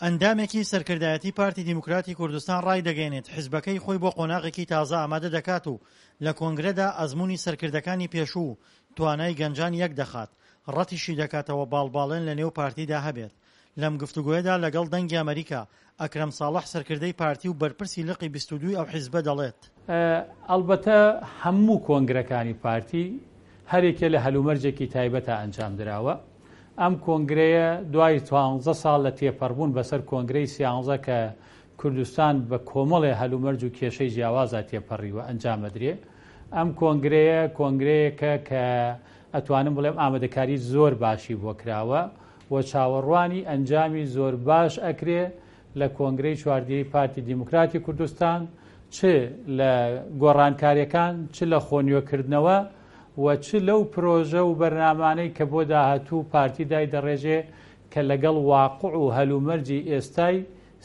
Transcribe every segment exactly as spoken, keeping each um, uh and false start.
ئەندامێکی سەرکردایەتی پارتی دیموکراتی کوردستان ڕایدەگەیەنێت، حزبەکەی خۆی بۆ قۆناغێکی تازە ئامادە دەکات و لە کۆنگرەدا ئەزموونی سەرکردەکانی پێشوو و توانای گەنجان یەک دەخات، ڕەتیشی دەکاتەوە باڵباڵێن لەنێو پارتیدا هەبێت. لەم گفتوگۆیەدا لەگەڵ دەنگی ئەمەریکا، ئەکرەم ساڵح سەرکردەی پارتی و بەرپرسی لقی بیست و دوو ی ئەو حیزبە دەڵێت. ئەڵبەتە هەموو کۆنگرەکانی پارتی هەرێکێ لە هەلومەرجێکی تایبەتا ئەنجام دراوە. ئەم کۆنگرەیە دوای دوانزە ساڵ لە تێپەڕبوون بەسەر کۆنگرەی سیانزە کە کوردستان بە کۆمەڵێ هەلومەرج و کێشەی جیاوازا تێپەڕیوە ئەنجام ئەدرێ. ئەم کۆنگرەیە کۆنگرەیەکە کە ئەتوانم بڵێم ئامادەکاری زۆر باشی بۆ کراوە و چاوەڕوانی ئەنجامی زۆر باش ئەکرێ لە کۆنگرەی چواردەی پارتی دیموکراتی کوردستان، چ لە گۆڕانکاریەکان، چ لە خۆنوێکردنەوە و چ لەو پرۆژە و بەرنامانەی کە بۆ داهاتوو پارتی دایدەڕێژێ کە لەگەڵ واقع و هەلومەرجی ئێستای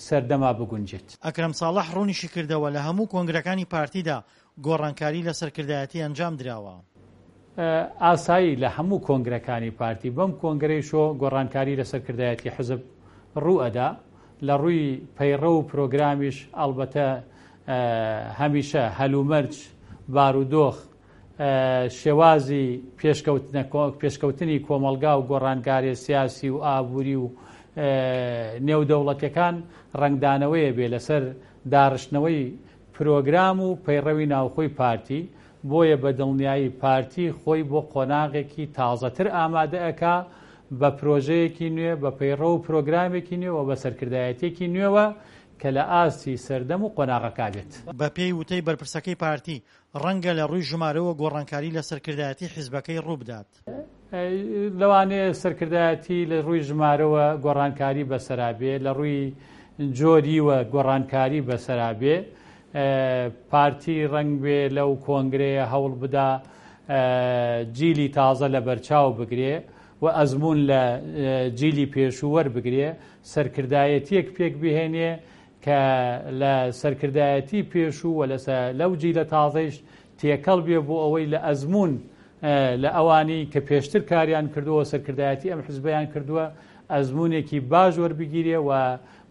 سەردەما بگونجێت. ئەکرەم ساڵح ڕوونیشیکردەوە، لە هەموو کۆنگرەکانی پارتیدا گۆڕانکاری لە سەرکردایەتی ئەنجام دراوە. ئاسایی لە هەموو کۆنگرەکانی پارتی بەم کۆنگرەیشۆ گۆڕانکاری لە سەرکردایەتی حزب ڕوو ئەدا. لە ڕووی پەیڕەو و پرۆگرامیش ئەڵبەتە هەمیشە هەلومەرج، بارودۆخ، شێوازی پێشکەوتنی کۆمەڵگا و گۆڕانکاری سیاسی و ئابووری و نێودەوڵەتەکان ڕەنگدانەوەیە بێ لەسەر داڕشتنەوەی پرۆگرام و پەیڕەوی ناوخۆی پارتی. بۆیە بە دڵنیایی پارتی خۆی بۆ قۆناغێکی تازەتر ئامادە ئەکا بە پرۆژەیەکی نوێ، بە پەیڕەو و پرۆگرامێکی نوێ و بە سەرکردایەتێکی نوێوە کە لە ئاستی سەردەم و قۆناغەکە بێت. بە پێی وتەی بەرپرسەکەی پارتی، ڕەنگە لە ڕووی ژمارەوە گۆڕانکاری لە سەرکردایەتی حیزبەکەی ڕووبدات. لەوانەیە سەرکردایەتی لە ڕووی ژمارەوە گۆڕانکاری بەسەرا بێ، لە ڕووی جۆریوە گۆڕانکاری بەسەرا بێ. پارتی ڕەنگ بێ لەو کۆنگرەیە هەوڵ بدا جیلی تازە لە بەرچاو بگرێ و ئەزمون لە جیلی پێشوو وەربگرێ، سەرکردایەتیەک پێک بهێنێ کە لە سەرکردایەتی پێشوو و لەو جیلە تازەیش تێکەڵ بێ بۆ ئەوەی لە ئەزمون لە ئەوانی کە پێشتر کاریان کردووە، سەرکردایەتی ئەم حزبیان کردووە، ئەزمونێکی باش وەربگیرێ و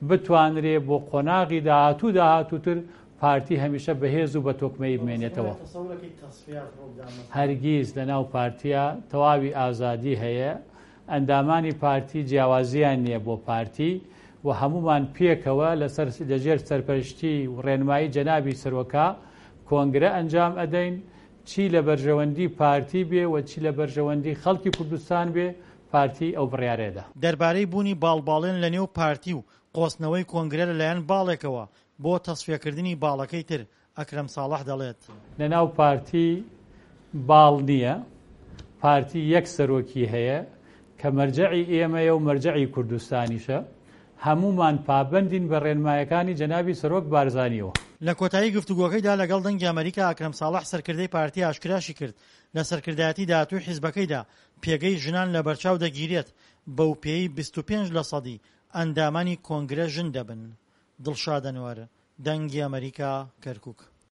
بتوانرێ بۆ قۆناغی داهاتوو داهاتووتر پارتی هەمیشە بەهێز و بە تۆکمەیی بمێنێتەوە. هەرگیز لەناو پارتیا تەواوی ئازادی هەیە، ئەندامانی پارتی جیاوازیان نییە بۆ پارتی و هەمومان پێکەوە لەسەر لەژێر سەرپەرشتی و ڕێنمایی جەنابی سەرۆکا کۆنگرە ئەنجام ئەدەین. چی لە بەرژەوەندی پارتی بێ و چی لە بەرژەوەندی خەڵکی کوردستان بێ پارتی ئەو بڕیارەدا. دەربارەی بوونی باڵباڵێن لەنێو پارتی و قۆستنەوەی کۆنگرە لەلایەن باڵێکەوە بۆ تەسفیەکردنی باڵەکەی تر، ئەکرەم ساڵح دەڵێت. لەناو پارتی باڵ نییە، پارتی یەک سەرۆکی هەیە کە مەرجەعی ئێمەیە و مەرجەعی کوردستانیشە. هەمومان پابەندین بە ڕێنمایەکانی جەنابی سەرۆک بارزانیەوە. لە کۆتایی گفتوگۆکەیدا لەگەڵ دەنگی ئەمەریکا، ئەکرەم ساڵح سەرکردەی پارتی ئاشکراشی کرد لە سەرکردایەتی داهاتووی حیزبەکەیدا پێگەی ژنان لەبەرچاو دەگیرێت، بەو پێی بیست و پێنج لە سەدی ئەندامانی کۆنگرە ژن دەبن. دڵشاد ئەنوەر، دەنگی ئەمەریکا، کەرکوک.